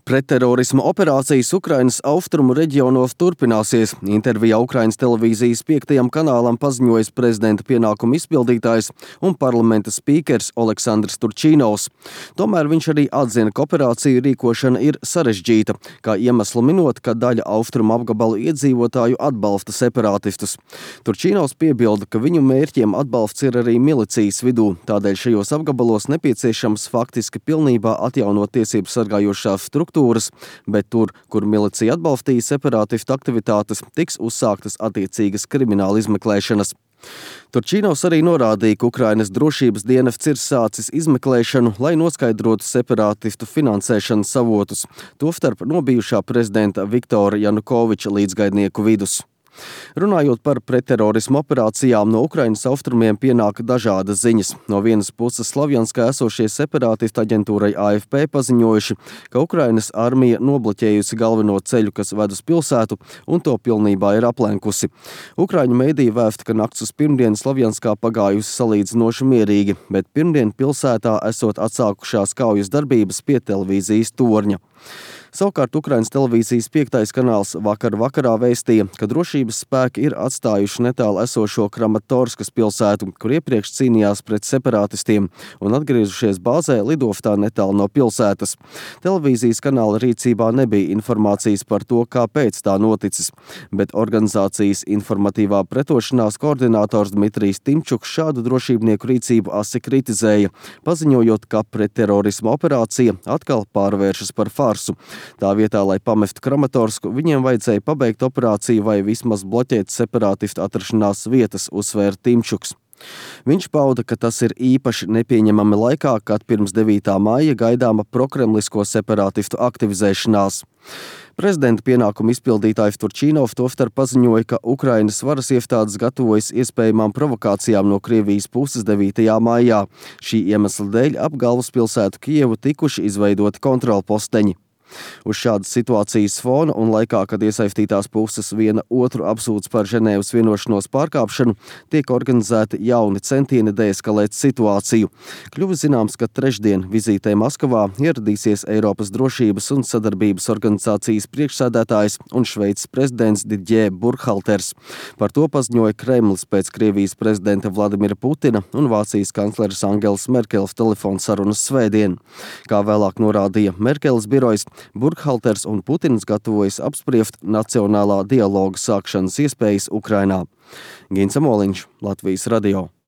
Pretterorisma operācijas Ukrainas austrumu reģionos turpināsies. Intervijā Ukrainas televīzijas 5. kanālam paziņojis prezidenta pienākumu izpildītājs un parlamenta spīkers Oleksandrs Turčīnovs. Tomēr viņš arī atzina, ka operāciju rīkošana ir sarežģīta, kā iemeslu minot, ka daļa austrumu apgabalu iedzīvotāju atbalsta separātistus. Turčīnovs piebilda, ka viņu mērķiem atbalsts ir arī milicijas vidū, tādēļ šajos apgabalos nepieciešams faktiski pilnībā atjaunot tiesību sargājošās struktūras, bet tur, kur milicija atbalstīja separātistu aktivitātes, tiks uzsāktas attiecīgas krimināla izmeklēšanas. Turčīnovs arī norādīja, ka Ukrainas drošības dienests ir sācis izmeklēšanu, lai noskaidrotu separātistu finansēšanas avotus, tostarp no bijušā prezidenta Viktora Janukoviča līdzgaidnieku vidus. Runājot par pretterorismu operācijām, no Ukrainas austrumiem pienāk dažādas ziņas. No vienas puses Slavjanskā esošie separātistu aģentūrai AFP paziņojuši, ka Ukrainas armija nobloķējusi galveno ceļu, kas ved uz pilsētu, un to pilnībā ir aplenkusi. Ukraiņu mediji vēsta, ka nakts uz pirmdienu Slavjanskā pagājusi salīdzinoši mierīgi, bet pirmdien pilsētā esot atsākušās kaujas darbības pie televīzijas torņa. Savukārt Ukrainas televīzijas 5. kanāls vakarā vēstīja, ka drošības spēki ir atstājuši netālu esošo Kramatorskas pilsētu, kur iepriekš cīnījās pret separātistiem, un atgriezušies bāzē lidostā netālu no pilsētas. Televīzijas kanāla rīcībā nebija informācijas par to, kāpēc tā noticis, bet organizācijas informatīvā pretošanās koordinators Dmitrijs Timčuks šādu drošībnieku rīcību asi kritizēja, paziņojot, ka pretterorisma operācija atkal pārvēršas par farsu. Tā vietā, lai pamestu Kramatorsku, viņiem vajadzēja pabeigt operāciju vai vismaz bloķēt separātistu atrašanās vietas, uzsvēra Timčuks. Viņš pauda, ka tas ir īpaši nepieņemami laikā, kad pirms 9. maija gaidāma prokremlisko separātistu aktivizēšanās. Prezidenta pienākumu izpildītājs Turčīnovs tostarp paziņoja, ka Ukrainas varas iestādes gatavojas iespējamām provokācijām no Krievijas puses 9. maijā. Šī iemesla dēļ ap galvaspilsētu Kijevu tikuši izveidoti kontrolposteņi. Uz šādas situācijas fona un laikā, kad iesaistītās puses viena otru apsūdz par Ženēvas vienošanos pārkāpšanu, tiek organizēti jauni centieni deeskalēt situāciju. Kļuvis zināms, ka trešdien vizītē Maskavā ieradīsies Eiropas drošības un sadarbības organizācijas priekšsēdētājs un Šveices prezidents Didier Burkhalters. Par to paziņoja Kremlis pēc Krievijas prezidenta Vladimira Putina un Vācijas kancleres Angelas Merkeles telefonsarunas svētdien. Kā vēlāk norādīja Merkeles birojs, Burkhalters un Putins gatavojas apspriest nacionālā dialoga sākšanas iespējas Ukrainā. Gins Amoliņš, Latvijas radio.